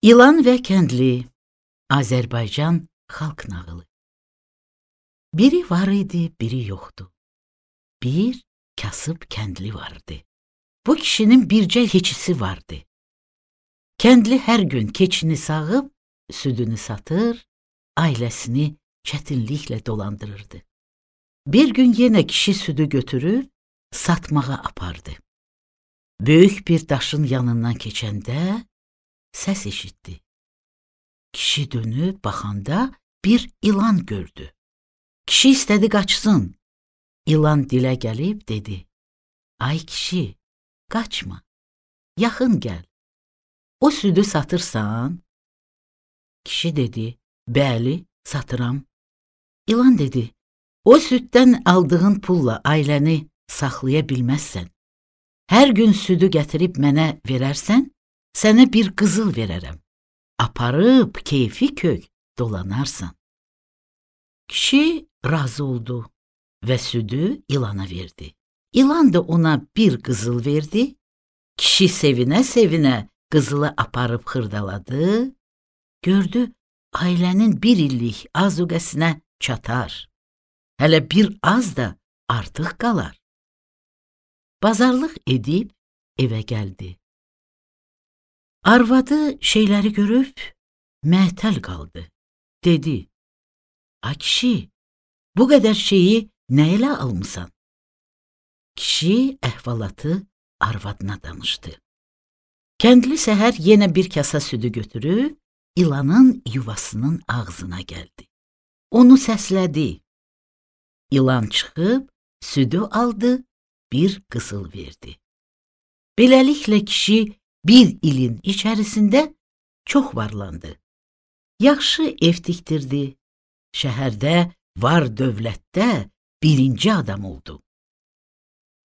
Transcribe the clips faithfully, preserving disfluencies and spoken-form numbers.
İlan və kəndli, Azərbaycan xalq nağılı. Biri var idi, biri yoxdu. Bir kasıb kəndli vardı. Bu kişinin bircə keçisi vardı. Kəndli hər gün keçini sağıb, südünü satır, ailəsini çətinliklə dolandırırdı. Bir gün yenə kişi südü götürüb, satmağa apardı. Böyük bir daşın yanından keçəndə səs eşitdi. Kişi dönüb baxanda bir ilan gördü. Kişi istədi qaçsın. İlan dilə gəlib dedi: "Ay kişi, qaçma, yaxın gəl. O südü satırsan?" Kişi dedi: "Bəli, satıram." İlan dedi: "O süddən aldığın pulla ailəni saxlaya bilməzsən. Hər gün südü gətirib mənə verərsən, sənə bir qızıl verərəm. Aparıb keyfi kök dolanarsan." Kişi razı oldu və südü ilana verdi. İlan da ona bir qızıl verdi. Kişi sevinə-sevinə qızılı aparıb xırdaladı. Gördü, ailənin bir illik azuqəsinə çatar. Hələ bir az da artıq qalar. Bazarlıq edib evə gəldi. Arvadı şeyləri görüb məətəl qaldı. Dedi: "Ay kişi, bu qədər şeyi nə ilə almısan?" Kişi əhvalatı arvadına danışdı. Kəndli səhər yenə bir kasa südü götürüb, ilanın yuvasının ağzına gəldi. Onu səslədi. İlan çıxıb, südü aldı, bir qızıl verdi. Beləliklə kişi bir ilin içərisində çox varlandı. Yaxşı ev tikdirdi. Şəhərdə, var dövlətdə birinci adam oldu.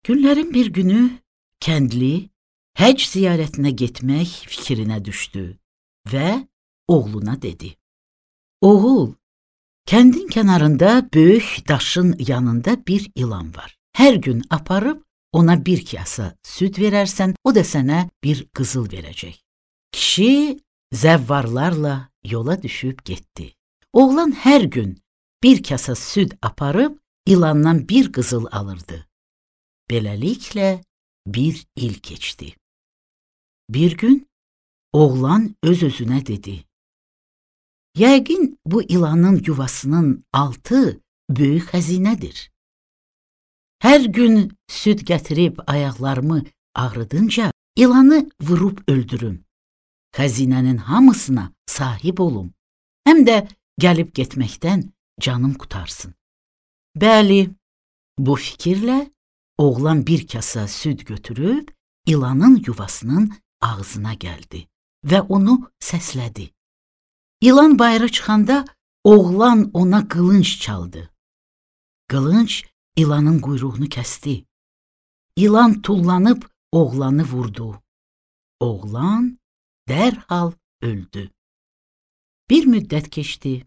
Günlərin bir günü kəndli həcc ziyarətinə getmək fikrinə düşdü və oğluna dedi: "Oğul, kəndin kənarında böyük daşın yanında bir ilan var. Hər gün aparıb ona bir kasa süd verərsən, o da sənə bir qızıl verəcək." Kişi zəvvarlarla yola düşüb getdi. Oğlan hər gün bir kasa süd aparıb ilandan bir qızıl alırdı. Beləliklə bir il keçdi. Bir gün oğlan öz-özünə dedi: "Yəqin bu ilanın yuvasının altı böyük xəzinədir. Hər gün süd gətirib ayaqlarımı ağrıdınca ilanı vurub öldürüm. Xəzinənin hamısına sahib olum. Həm də gəlib getməkdən canım qutarsın." Bəli, bu fikirlə oğlan bir kasa süd götürüb ilanın yuvasının ağzına gəldi və onu səslədi. İlan bayıra çıxanda oğlan ona qılınc çaldı. Qılınc ilanın quyruğunu kəsdi. İlan tullanıb oğlanı vurdu. Oğlan dərhal öldü. Bir müddət keçdi.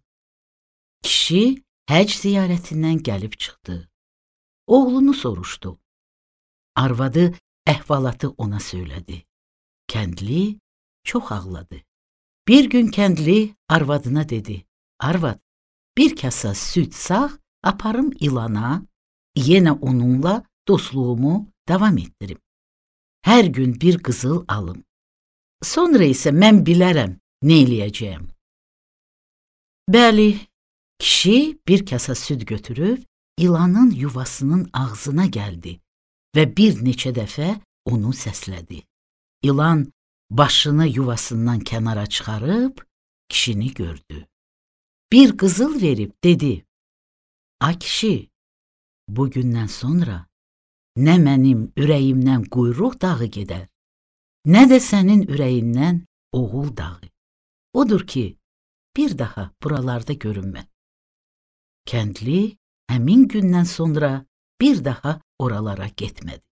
Kişi həcc ziyarətindən gəlib çıxdı. Oğlunu soruşdu. Arvadı əhvalatı ona söylədi. Kəndli çox ağladı. Bir gün kəndli arvadına dedi: "Arvad, bir kasa süd sağ, aparım ilana, yenə onunla dostluğumu davam etdirim. Hər gün bir qızıl alım. Sonra isə mən bilərəm nə eləyəcəyəm." Bəli, kişi bir kasa süd götürüb ilanın yuvasının ağzına gəldi və bir neçə dəfə onu səslədi. İlan başını yuvasından kənara çıxarıb kişini gördü. Bir qızıl verib dedi: "Ay kişi, bu gündən sonra nə mənim ürəyimdən quyruq dağı gedər, nə də sənin ürəyindən oğul dağı. Odur ki, bir daha buralarda görünmə." Kəndli həmin gündən sonra bir daha oralara getmədi.